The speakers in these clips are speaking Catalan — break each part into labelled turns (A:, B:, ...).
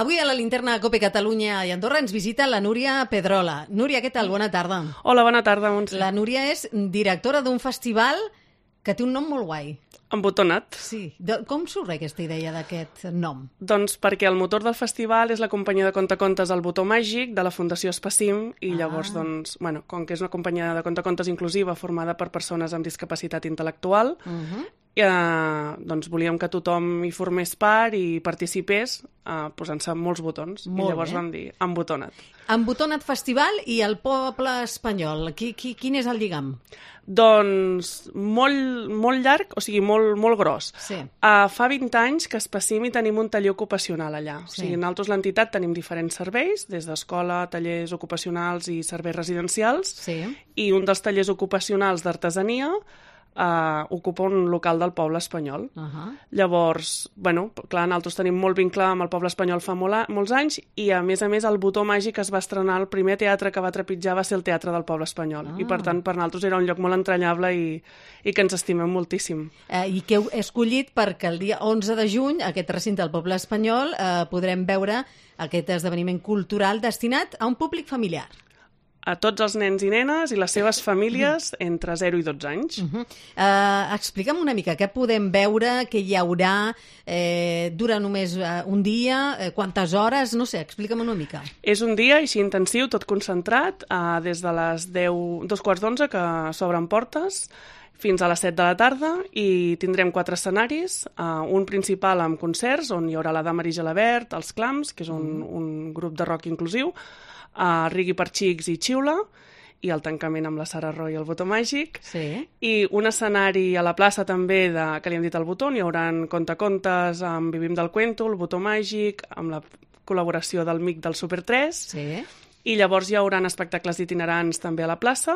A: Avui a la linterna Cope Catalunya i Andorra ens visita la Núria Pedrola. Núria, què tal? Bona tarda.
B: Hola, bona tarda, Montse.
A: La Núria és directora d'un festival que té un nom molt guai.
B: Embotonat.
A: Sí. Com surt aquesta idea d'aquest nom?
B: Doncs perquè el motor del festival és la companyia de contacontes El Botó Màgic de la Fundació Espacim i llavors, doncs, bueno, com que és una companyia de contacontes inclusiva formada per persones amb discapacitat intel·lectual, doncs volíem que tothom hi formés part i participés posant-se molts botons. I llavors vam dir Embotonat.
A: Embotonat Festival i el poble espanyol. Quin és el lligam?
B: Doncs molt llarg, o sigui, molt gros.
A: Sí.
B: Fa 20 anys que a Espacim hi tenim un taller ocupacional allà. O sigui, nosaltres l'entitat tenim diferents serveis, des d'escola, tallers ocupacionals i serveis residencials, i un dels tallers ocupacionals d'artesania ocupa un local del poble espanyol. Llavors, bueno, clar, nosaltres tenim molt vincle amb el poble espanyol fa molts anys i, a més, El Botó Màgic es va estrenar, el primer teatre que va trepitjar va ser el Teatre del Poble Espanyol. I, per tant, per nosaltres era un lloc molt entranyable i que ens estimem moltíssim.
A: I que heu escollit perquè el dia 11 de juny, aquest recinte del Poble Espanyol, podrem veure aquest esdeveniment cultural destinat a un públic familiar.
B: A tots els nens i nenes i les seves famílies entre 0 i 12 anys.
A: Explica'm una mica, què podem veure, què hi haurà, dura només un dia, quantes hores, no sé, explica'm una mica.
B: És un dia així intensiu, tot concentrat, des de les 2:15 que s'obren portes, fins a les 7 de la tarda, i tindrem 4 escenaris, un principal amb concerts, on hi haurà la Dama Gelabert, els Clams, que és un grup de rock inclusiu, Rigui per Xics i Xiula, i el tancament amb la Sara Roy i el Botó Màgic, i un escenari a la plaça també que li hem dit El Botó, hi haurà contacontes amb Vivim del Cuento, el Botó Màgic, amb la col·laboració del MIC del Super 3, i llavors hi haurà espectacles itinerants també a la plaça.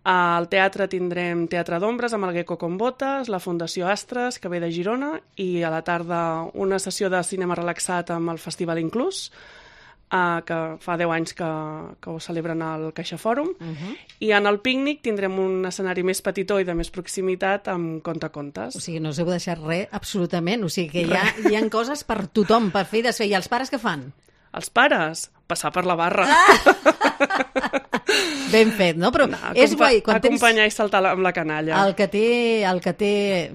B: Al teatre tindrem Teatre d'Ombres amb el Gecko con Botes, la Fundació Astres, que ve de Girona, i a la tarda una sessió de cinema relaxat amb el Festival Inclús, que fa 10 anys que ho celebren al Caixa Fòrum, i en el pícnic tindrem un escenari més petitó i de més proximitat amb contacontes.
A: O sigui, no us heu deixat res, absolutament. O sigui, que hi ha coses per tothom, per fer i desfer. I els pares què fan?
B: Els pares? Passar per la barra.
A: Ben fet, no? Però és guai.
B: Acompanyar i saltar amb la canalla.
A: El que té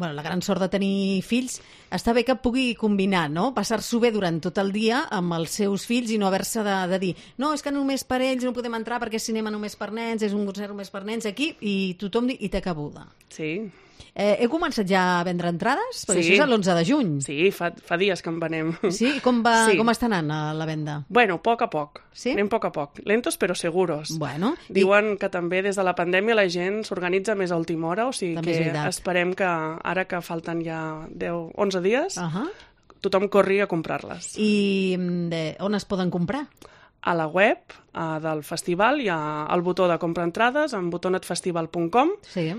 A: la gran sort de tenir fills, està bé que pugui combinar, no? Passar-s'ho bé durant tot el dia amb els seus fills i no haver-se de dir no, és que només per ells no podem entrar perquè és cinema només per nens, és un concert només per nens aquí, i tothom i té cabuda.
B: Sí.
A: Heu començat ja a vendre entrades? Perquè això és l'11 de juny.
B: Sí, fa dies que en venem.
A: Sí? Com està anant la venda?
B: Bueno, a poc a poc. Sí? Anem a poc a poc. Lentos però seguros.
A: Bueno.
B: Diuen que també des de la pandèmia la gent s'organitza més a última hora, o sigui que esperem que ara que falten ja 11 dies, tothom corri a comprar-les.
A: I on es poden comprar?
B: A la web del festival hi ha el botó de comprar entrades en botonetfestival.com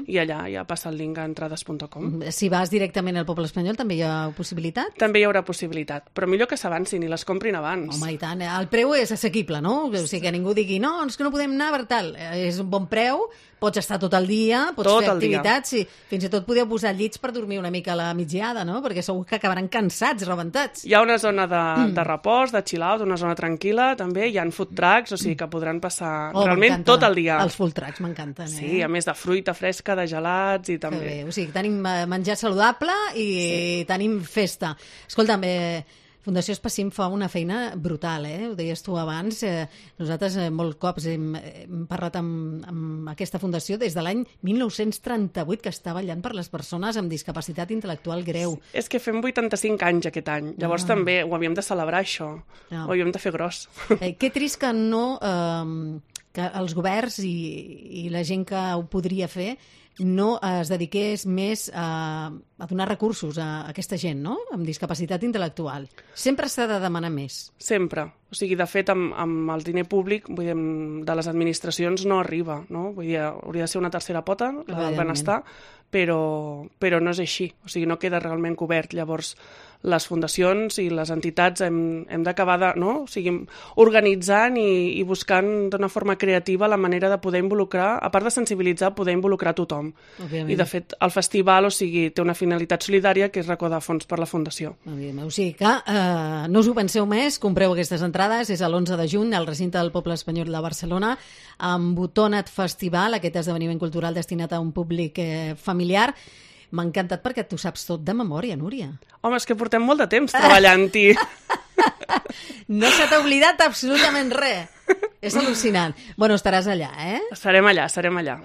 B: i allà ja passa el link a entrades.com.
A: Si vas directament al Poble Espanyol també hi ha possibilitat?
B: També hi haurà possibilitat, però millor que s'avancin i les comprin abans.
A: Home, i tant. El preu és assequible, no? O sigui, que ningú digui no, és que no podem anar per tal. És un bon preu, pots estar tot el dia, pots fer activitats, fins i tot podeu posar llits per dormir una mica a la migdiada, no? Perquè segur que acabaran cansats, rebentats.
B: Hi ha una zona de repòs, de chill-out, una zona tranquil·la, també. Hi ha food trucks, o sigui que podran passar realment tot el dia.
A: Els food trucks m'encanten,
B: Sí, a més de fruita fresca, de gelats i també.
A: Bé. O sigui, tenim menjar saludable i tenim festa. Escolta'm, Fundació Espacim fa una feina brutal, ho deies tu abans. Nosaltres molts cops hem parlat amb aquesta fundació des de l'any 1938, que està vetllant per les persones amb discapacitat intel·lectual greu.
B: És que fem 85 anys aquest any, llavors també ho havíem de celebrar, això. Ho havíem de fer gros.
A: Que trist que no... que els governs i la gent que ho podria fer no es dediqués més a donar recursos a aquesta gent, no?, amb discapacitat intel·lectual. Sempre s'ha de demanar més.
B: Sempre. O sigui, de fet, amb el diner públic de les administracions no arriba, no? Vull dir, hauria de ser una tercera pota, la del benestar, però no és així. O sigui, no queda realment cobert. Llavors, les fundacions i les entitats hem d'acabar organitzant i buscant d'una forma creativa la manera de poder involucrar, a part de sensibilitzar, poder involucrar tothom.
A: Òbviament.
B: I, de fet, el festival, o sigui, té una finalitat finalitat solidària, que és recaudar fons per la Fundació.
A: O sigui que no us ho penseu més, compreu aquestes entrades, és l'11 de juny al recinte del Poble Espanyol de Barcelona, amb Botona't Festival, aquest esdeveniment cultural destinat a un públic familiar. M'ha encantat perquè tu saps tot de memòria, Núria.
B: Home, és que portem molt de temps treballant-hi.
A: No se t'ha oblidat absolutament res. És al·lucinant. Bueno, estaràs allà, eh?
B: Serem allà.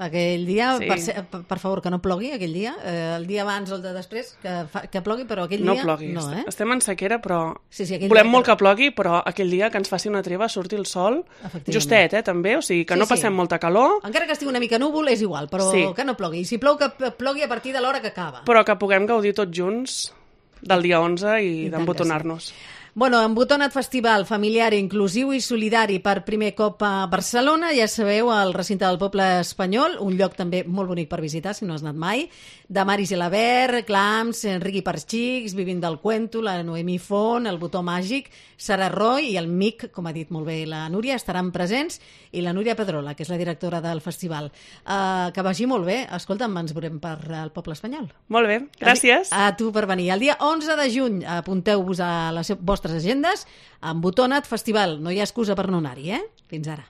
A: Aquell dia,
B: Sí.
A: per favor, que no plogui aquell dia. El dia abans o el de després, que plogui, però aquell
B: No
A: dia...
B: plogui.
A: No, eh?
B: Estem en sequera, però
A: aquell
B: volem
A: dia
B: molt que plogui, però aquell dia que ens faci una treva, surti el sol, justet, també, o sigui que no passem molta calor.
A: Encara que estigui una mica núvol és igual, però que no plogui. I si plou, que plogui a partir de l'hora que acaba.
B: Però que puguem gaudir tots junts del dia 11 i d'embotonar-nos.
A: Bueno, Botona't Festival familiar, inclusiu i solidari per primer cop a Barcelona, ja sabeu, al recinte del Poble Espanyol, un lloc també molt bonic per visitar, si no has anat mai, de Mari Gelabert, Clams, Enriqui Parxics, Vivint del Cuento, la Noemí Font, el Botó Màgic, Sara Roy i el MIC, com ha dit molt bé la Núria, estaran presents, i la Núria Pedrola, que és la directora del festival. Que vagi molt bé. Escolta'm, ens veurem per al Poble Espanyol.
B: Molt bé, gràcies.
A: A tu per venir. El dia 11 de juny, apunteu-vos a les vostres agendes, amb Botona't Festival. No hi ha excusa per no anar-hi, eh? Fins ara.